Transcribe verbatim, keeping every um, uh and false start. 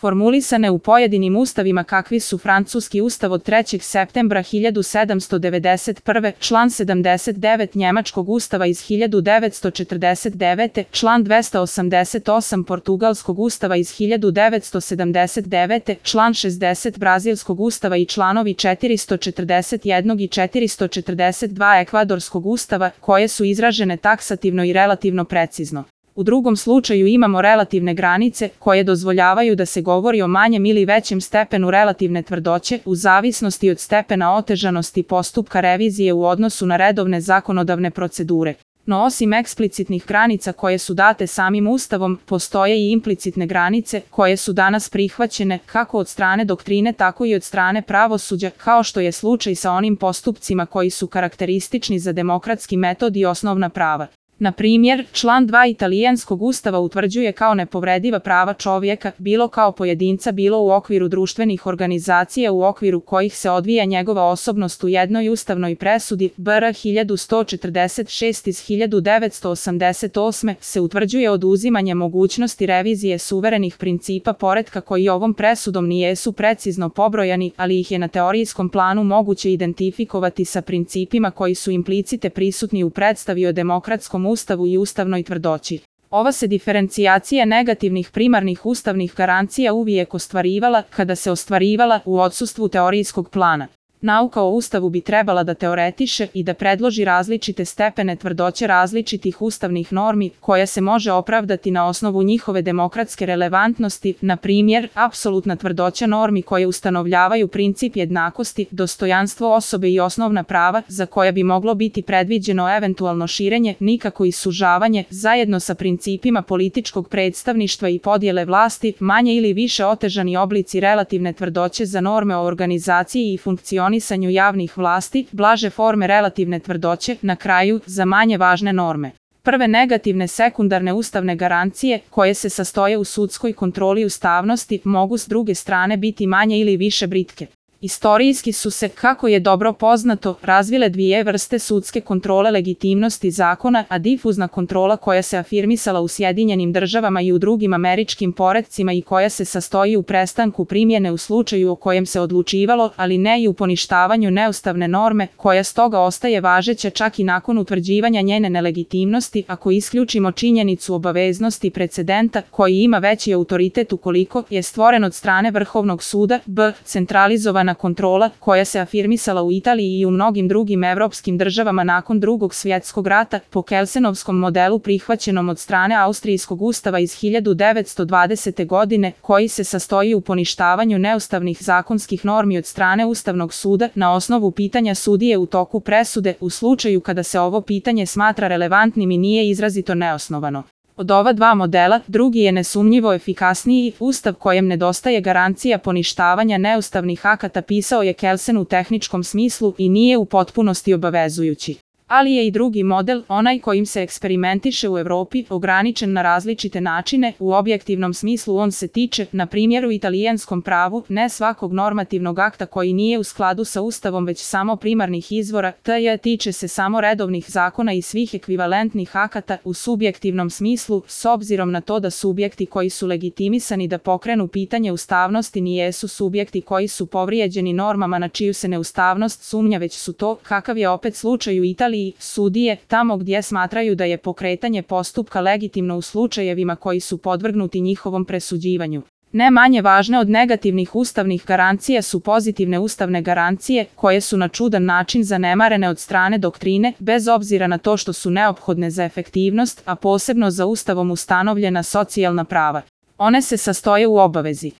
formulisane u pojedinim ustavima kakvi su francuski ustav od trećeg septembra hiljadu sedamsto devedeset prve, član sedamdeset devet njemačkog ustava iz hiljadu devetsto četrdeset devete, član dvesta osamdeset osam portugalskog ustava iz hiljadu devetsto sedamdeset devete, član šezdeset brazilskog ustava i članovi četiristo četrdeset jedan i četiristo četrdeset dva ekvadorskog ustava, koje su izražene taksativno i relativno precizno. U drugom slučaju imamo relativne granice, koje dozvoljavaju da se govori o manjem ili većem stepenu relativne tvrdoće, u zavisnosti od stepena otežanosti postupka revizije u odnosu na redovne zakonodavne procedure. No osim eksplicitnih granica koje su date samim Ustavom, postoje i implicitne granice, koje su danas prihvaćene, kako od strane doktrine tako i od strane pravosuđa, kao što je slučaj sa onim postupcima koji su karakteristični za demokratski metod i osnovna prava. Na primjer, član dva italijanskog ustava utvrđuje kao nepovrediva prava čovjeka, bilo kao pojedinca, bilo u okviru društvenih organizacija u okviru kojih se odvija njegova osobnost u jednoj ustavnoj presudi, B R hiljadu sto četrdeset šest iz hiljadu devetsto osamdeset osme, se utvrđuje oduzimanje mogućnosti revizije suverenih principa poretka koji ovom presudom nijesu precizno pobrojani, ali ih je na teorijskom planu moguće identifikovati sa principima koji su implicite prisutni u predstavi o demokratskom Ustavu i ustavnoj tvrdoći. Ova se diferencijacija negativnih primarnih ustavnih garancija uvijek ostvarivala kada se ostvarivala u odsustvu teorijskog plana. Nauka o Ustavu bi trebala da teoretiše i da predloži različite stepene tvrdoće različitih ustavnih normi, koja se može opravdati na osnovu njihove demokratske relevantnosti, na primjer, apsolutna tvrdoća normi koje ustanovljavaju princip jednakosti, dostojanstvo osobe i osnovna prava, za koja bi moglo biti predviđeno eventualno širenje, nikako i sužavanje, zajedno sa principima političkog predstavništva i podjele vlasti, manje ili više otežani oblici relativne tvrdoće za norme o organizaciji i funkcionisanju javnih vlasti, blaže forme relativne tvrdoće, na kraju, za manje važne norme. Prve negativne sekundarne ustavne garancije, koje se sastoje u sudskoj kontroli ustavnosti, mogu s druge strane biti manje ili više britke. Istorijski su se, kako je dobro poznato, razvile dvije vrste sudske kontrole legitimnosti zakona, a difuzna kontrola koja se afirmisala u Sjedinjenim državama i u drugim američkim poretcima i koja se sastoji u prestanku primjene u slučaju o kojem se odlučivalo, ali ne i u poništavanju neustavne norme, koja stoga ostaje važeća čak i nakon utvrđivanja njene nelegitimnosti, ako isključimo činjenicu obaveznosti precedenta, koji ima veći autoritet ukoliko je stvoren od strane Vrhovnog suda, b. centralizovana kontrola, koja se afirmisala u Italiji i u mnogim drugim evropskim državama nakon Drugog svjetskog rata, po Kelsenovskom modelu prihvaćenom od strane Austrijskog ustava iz hiljadu devetsto dvadesete godine, koji se sastoji u poništavanju neustavnih zakonskih normi od strane Ustavnog suda na osnovu pitanja sudije u toku presude, u slučaju kada se ovo pitanje smatra relevantnim i nije izrazito neosnovano. Od ova dva modela, drugi je nesumnjivo efikasniji. Ustav kojem nedostaje garancija poništavanja neustavnih akata pisao je Kelsen u tehničkom smislu i nije u potpunosti obavezujući. Ali je i drugi model, onaj kojim se eksperimentiše u Evropi, ograničen na različite načine. U objektivnom smislu on se tiče, na primjer u italijanskom pravu, ne svakog normativnog akta koji nije u skladu sa Ustavom već samo primarnih izvora, tj. tiče se samo redovnih zakona i svih ekvivalentnih akata. U subjektivnom smislu, s obzirom na to da subjekti koji su legitimisani da pokrenu pitanje ustavnosti nijesu subjekti koji su povrijeđeni normama na čiju se neustavnost sumnja, već su to, kakav je opet slučaj u Italiji, sudije, tamo gdje smatraju da je pokretanje postupka legitimno u slučajevima koji su podvrgnuti njihovom presuđivanju. Ne manje važne od negativnih ustavnih garancija su pozitivne ustavne garancije, koje su na čudan način zanemarene od strane doktrine, bez obzira na to što su neophodne za efektivnost, a posebno za Ustavom ustanovljena socijalna prava. One se sastoje u obavezi